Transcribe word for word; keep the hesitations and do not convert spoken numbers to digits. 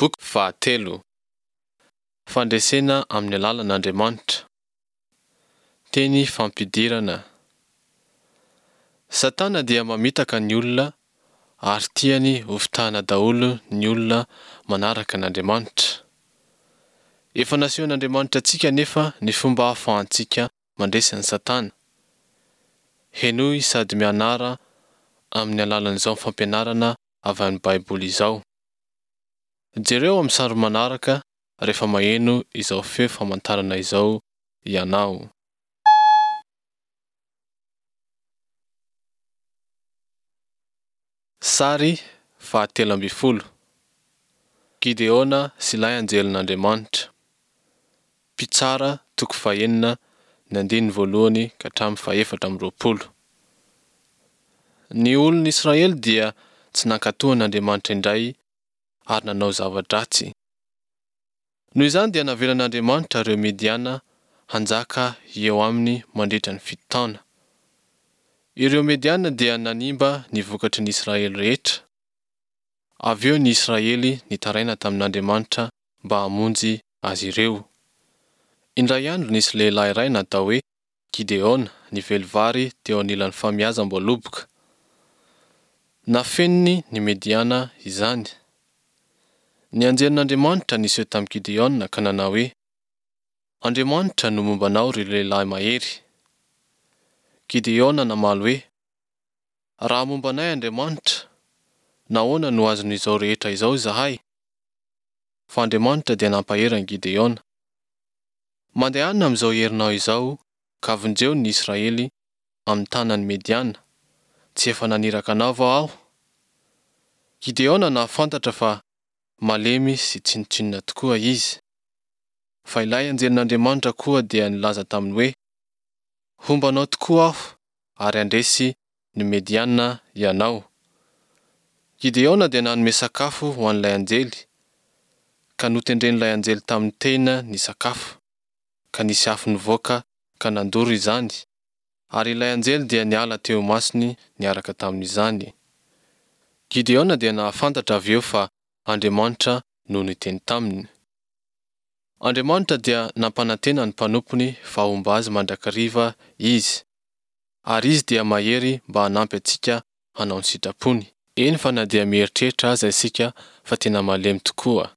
Boky fahatelo. Fandresena amin'ny alalan'Andriamanitra. Teny fampidirana. Satana dia mamitaka ny olona ary tiany hofitahana daholo ny olona manaraka an'Andriamanitra. Efa nasehon'Andriamanitra antsika anefa ny fomba ahafahantsika mandresy an'i Satana. Henoy sady mianara amin'ny alalan'izao fampianarana avy amin'ny Baiboly izao. Jereo amin'ny sary manaraka rehefa maheno izao feo famantarana izao ianao. Sary fahatelo ambin'ny folo. Gideona sy ilay anjelin'Andriamanitra. Mpitsara toko fahenina ny andininy voalohany ka hatramin'ny fahefatra amby roapolo. Ny olon'ny Israely dia tsy nankatò an'Andriamanitra indray ary nanao zava-dratsy. Noho izany dia navelan'Andriamanitra ireo Mediana hanjaka eo aminy mandritra ny fito taona. Ireo Mediana dia nanimba ny vokatry ny Israely rehetra. Avy eo ny Israely nitaraina tamin'Andriamanitra mba hamonjy azy ireo. Indray andro nisy lehilahy iray natao hoe Gideona nively vary teo anilan'ny famiazam-boaloboka. Nafeniny ny Mediana izany. Ny anjelin'Andriamanitra niseho tamin'i Gideona ka nanao hoe, Andriamanitra no momba anao ry lehilahy mahery. Gideona namaly hoe, Raha momba anay Andriamanitra, nahoana no azon'izao rehetra izao izahay? Fa Andriamanitra dia nampahery an'i Gideona. Mandehana amin'izao herinao izao ka vonjeo ny Israely amin'ny tanan'ny Mediana, tsy efa naniraka anao va aho? Gideona nahafantatra fa malemy sy tsinontsinona tokoa izy. Fa ilay anjelin'Andriamanitra koa dia nilaza taminy hoe, Homba anao tokoa aho ary handresy ny Mediana ianao. Gideona dia nanome sakafo ho an'ilay anjely, ka notendren'ilay anjely tamin'ny tehina ny sakafo, ka nisy afo nivoaka ka nandoro izany, ary ilay anjely dia niala teo imasony niaraka tamin'izany. Gideona dia nahafantatra avy eo fa Andriamanitra no niteny taminy. Andriamanitra dia nampanantena ny mpanompony fa homba azy mandrakariva Izy, ary Izy dia mahery mba hanampy antsika hanao ny sitrapony. Eny fa na dia mieritreritra aza isika fa tena malemy tokoa.